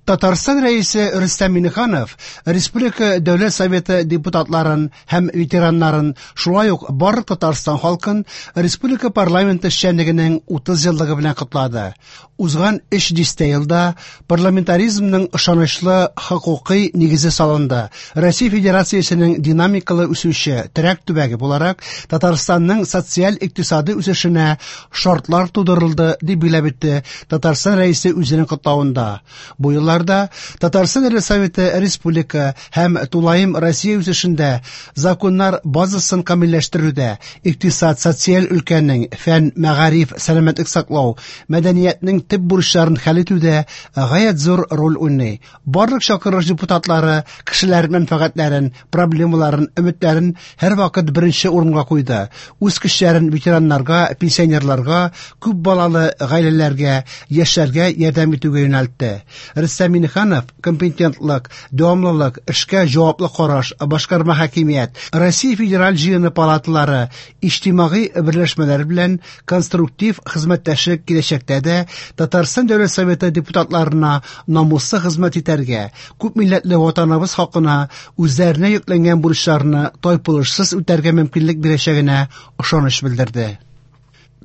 Татарстан Рәисе Рөстәм Миңнеханов Республика Дәүләт Советы депутатларын һәм ветераннарын, шулай ук барлык Татарстан халкын республика парламенты эшчәнлегенең 30 еллыгы белән котлады. Узган өч дистә елда парламентаризмның ышанычлы хокукый нигезе салынды. Россия Федерациясенең динамикалы үсүче терәк төбәге буларак Татарстанның социаль-икътисади үсешенә шартлар тудырылды, дип билгеләп үтте Татарстан Рәисе үзенең котлавында. Бу елларда Татарстан Дәүләт Советы республика һәм тулаем Россия үсешендә законнар базасын камилләштерүдә, икътисад, социаль өлкәнең, фән, мәгариф, сәламәтлек саклау, мәдәниятнең төп бурычларын хәл итүдә гаять зур роль уйный. Барлык чакырылыш депутатлары кешеләр мәнфәгатьләрен, проблемаларын, өметләрен һәрвакыт беренче урынга куйды. Үз көчләрен ветераннарга, пенсионерларга, күп балалы гаиләләргә, яшьләргә ярдәм итүгә юнәлтте. Рөстәм Миңнеханов компетентлык, дәвамлылык, эшкә җаваплы караш, башкарма хакимият, Россия Федераль җыены палаталары, иҗтимагый берләшмәләр белән конструктив хезмәттәшлек киләчәктә дә Татарстан Дәүләт Советы депутатларына намуслы хезмәт итәргә, күпмилләтле ватаныбыз хакына үзләренә йөкләнгән бурычларны тайпылышсыз үтәргә мөмкинлек бирәчәгенә ышаныч белдерде.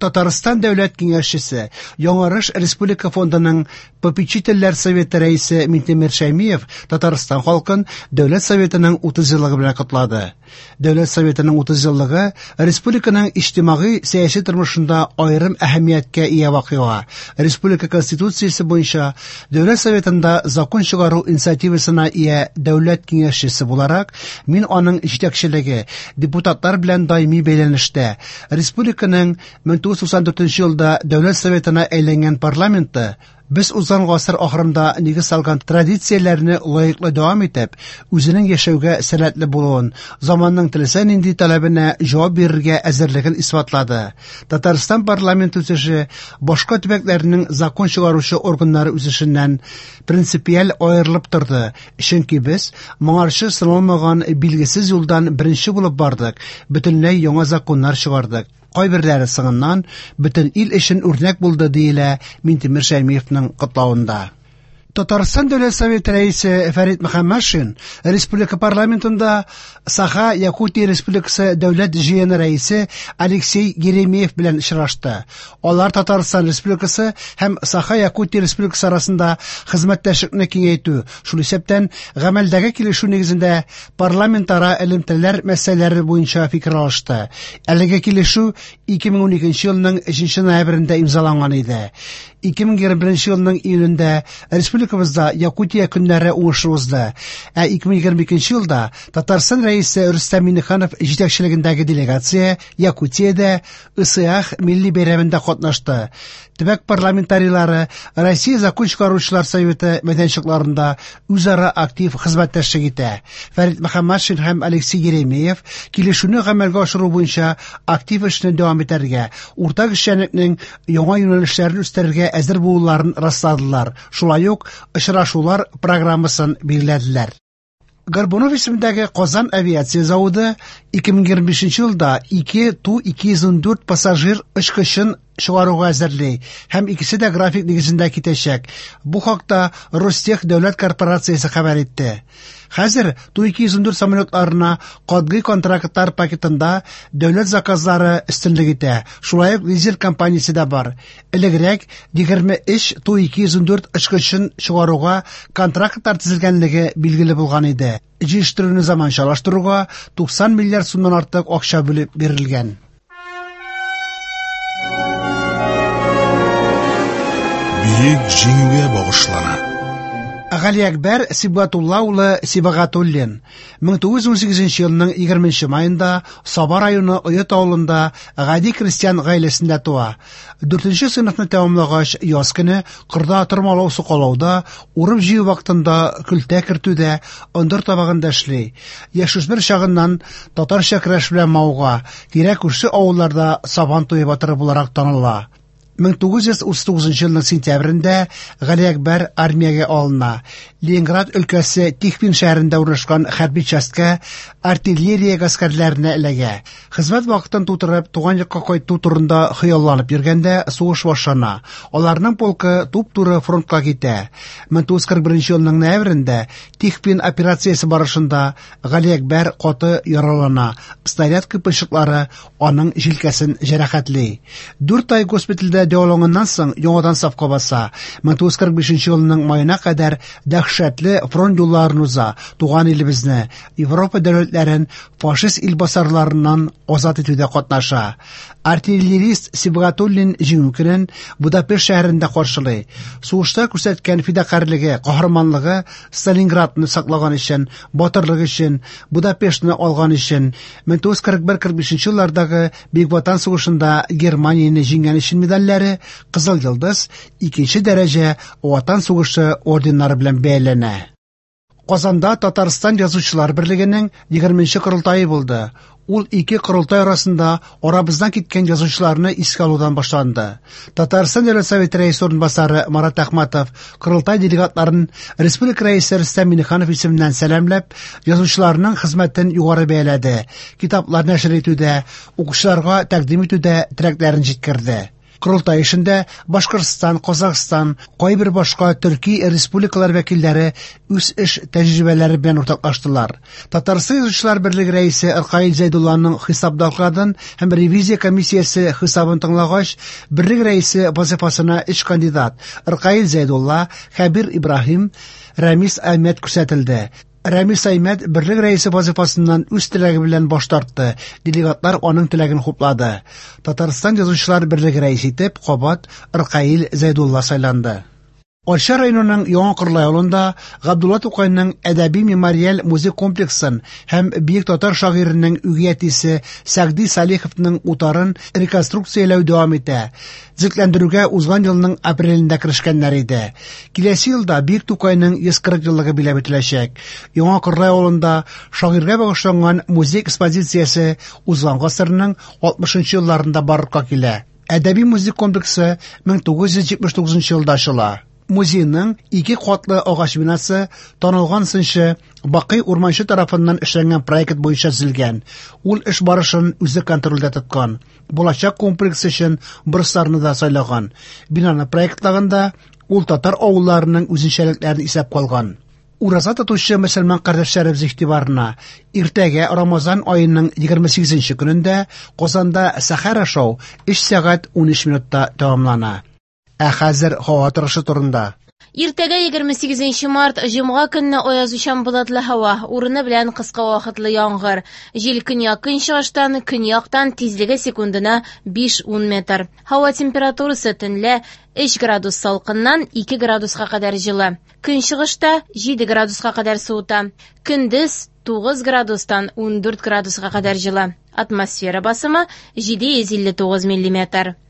Татарстан Дәүләт Киңәшчесе, Яңарыш Республика фондының попечительләр советы рәисе Минтимер Шәймиев Татарстан халкын Дәүләт Советының 30 еллыгы белән котлады. Дәүләт Советының 30 еллыгы республиканың иҗтимагый-сәяси тормышында аерым әһәмияткә ия вакыйга. Республика Конституциясе буенча Дәүләт Советында закон чыгару инициативасына ия дәүләт киңәшчесе буларак, мин аның җитәкчелеге, депутатлар белән даими бәйләнештә, республиканың 1994 елда Дәүләт Советына әйләнгән парламенты без узган гасыр ахырында нигез салган традицияләрне лаеклы дәвам итеп, үзенең яшәүгә сәләтле булуын, заманның теләсә нинди таләбенә җавап бирергә әзерлеген исбатлады. Татарстан парламенты үсеше башка төбәкләрнең закон чыгаручы органнары үсешеннән принципиаль аерылып торды, чөнки без моңарчы сыналмаган билгесез юлдан беренче булып бардык, бөтенләй яңа законнар чыгардык. Кайберләре соңыннан бөтен ил өчен үрнәк булды, диелә Минтимер Шәймиевның котлавында. Татарстан Дәүләт Советы рәисе Фәрит Мөхәммәтшин республика парламентында Саха Якутия Республикасы Дәүләт җыены рәисе Алексей Еремеев белән очрашты. Алар Татарстан Республикасы һәм Саха Якутия Республикасы арасында хезмәттәшлекне киңәйтү, шул исәптән гамәлдәге килешү нигезендә парламентара элемтәләр мәсьәләләре буенча фикер алышты. Әлеге килешү 2012 елның 3 ноябрендә имзаланган иде. 2021 елның июлендә республикабызда Якутия көннәре уңышлы узды. Ә 2022 елда Татарстан Рәисе Рөстәм Миңнеханов җитәкчелегендәге делегация Якутиядә Ысыах милли бәйрәмендә катнашты. Төбәк парламентарийлары Россия Закон чыгаручылар советы мәйданчыкларында үзара актив хезмәттәшлек итә. Фәрит Мөхәммәтшин һәм Алексей Еремеев килешүне гамәлгә ашыру буенча актив эшне дәвам итәргә, уртак эшчәнлекнең яңа юнәлешләрен үстерергә әзер булуларын расладылар. Шулай ук очрашулар программасын билгеләделәр. Горбунов исемендәге Казан авиация заводы 2025 елда 2 Ту-214 пассажир очкычын чыгаруга әзерли һәм икесе дә график нигезендә китәчәк. Бу хакта Ростех дәүләт корпорациясе хәбәр итте. Хәзер Ту-214 самолетларына катгый контрактлар пакетында дәүләт заказлары өстенлек итә. Шулай ук лизинг компаниясе дә бар. Элегрәк 23 Ту-214 очкычын чыгаруга контрактлар төзелгәнлеге билгеле булган иде. Җитештерүне заманчалаштыруга 90 миллиард сумнан артык акча бүлеп бирелгән. Бөек Җиңүгә багышлана. Галиәкбәр Сибгатулла улы Сибагатуллин 1918 елның 20 маенда Саба районы Оет авылында гади крестьян гаиләсендә туа. 4 сыйныфны тәмамлагач, яз көне кырда тырмалау сукалауда, урып-җыю вакытында көлтә кертүдә, ындыр табагында эшли. Яшүсмер чагыннан татарча көрәш белән мавыга, тирә-күрше авылларда сабан туе батыры буларак таныла. 1939 елның сентябрендә Галиәкбәр армиягә алына. Ленинград өлкәсе Тихвин шәһәрендә урнашкан хәрби частькә артиллерия гаскәрләренә эләгә. Хезмәт вакытын тутырып, туган якка кайту турында хыялланып йөргәндә сугыш башлана. Аларның полкы туп-туры фронтка китә. 1941 елның ноябрендә Тихвин операциясе барышында Галиәкбәр каты яралана, снаряд кыйпылчыклары аның җилкәсен җәрәхәтли. 4 ай госпитальдә дәваланганнан соң яңадан сафка баса. 1945 елның маена кадәр дәһшәтле фронт юлларын уза, туган илебезне, Европа дәүләтләрен фашист илбасарларыннан азат итүдә катнаша. Артиллерист Сибгатуллин җиңү көнен Будапешт шәһәрендә каршылый. Сугышта күрсәткән фидакарьлеге, каһарманлыгы Сталинградны саклаган өчен, батырлык өчен, Будапештны алган өчен, 1941-45 еллардагы Бөек Ватан сугышында Германияне җиңгән өчен медальләре, Кызыл Йолдыз, икенче дәрәҗә Ватан сугышы орденнары белән бәяләнә. Казанда Татарстан Язучылар берлегенең 20 корылтае булды. Ул ике корылтай арасында арабыздан киткән язучыларны искә алудан башланды. Татарстан Дәүләт Советы рәисе урынбасары Марат Әхмәтов корылтай делегатларын республика рәисе Рөстәм Миңнеханов исеменнән сәламләп, язучыларның хезмәтен югары бәяләде, китаплар нәшер итүдә, укучыларга тәкъдим итүдә теләкләрен җиткерде. Корылтай эшендә Башкортстан, Казахстан, кайбер башка төрки республикалар вәкилләре үз эш тәҗрибәләре белән уртаклаштылар. Татарстан Язучылар берлеге рәисе Ркаил Зәйдулланың хисап докладын һәм ревизия комиссиясе хисабын тыңлагач, берлек рәисе вазифасына өч кандидат Ркаил Зәйдулла, Хәбир Ибраһим, Рәмис Әхмәт күрсәтелде. Рәмис Аймәт берлек рәисе вазифасыннан үз теләге белән баш тартты. Делегатлар аның теләген хуплады. Татарстан Язучылар берлеге рәисе итеп кабат Ркаил Зәйдулла сайланды. Арча районының Яңа Кырлай авылында Габдулла Тукайның әдәби мемориаль музей комплексын һәм бөек татар шагыйренең үги әтисе Сәгъди Салиховның утарын реконструкцияләү дәвам итә. Төзекләндерүгә узган елның апрелендә керешкәннәр иде. Киләсе елда Бөек Тукайның 140 еллыгы биләп үтеләчәк. Яңа Кырлай авылында шагыйрьгә багышланган музей экспозициясе узган гасырның 60 елларында барлыкка килә. Әдәби музей комплексы 1979 елда ачыла. Музейның ике катлы агач бинасы танылган сынчы Бакый Урманчы тарафыннан эшләнгән проект буенча төзелгән. Ул эш барышын үзе контрольдә тоткан. Булачак комплекс өчен бурычларны да сайлаган. Бинаны проектлаганда ул татар авылларының үзенчәлекләрен исәп калган. Ураза тотучы мөселман кардәшләребез игътибарына иртәгә Рамазан аеның 28 көнендә Казанда сәхәр ашау 3 сәгать 13 минутта тәмамлана. Ә хәзер һава торышы турында. Иртәгә 28 март, җомга көнне аязучан болытлы һава, урыны белән кыска вакытлы яңгыр. Җил көньяк-көнчыгыштан, көньяктан тизлеге секундына 5-10 метр. Һава температурасы төнлә 3 градус салкыннан 2 градуска кадәр җылы. Көнчыгышта 7 градуска кадәр суыта. Көндез 9 градустан 14 градуска кадәр җылы. Атмосфера басымы 759 миллиметр.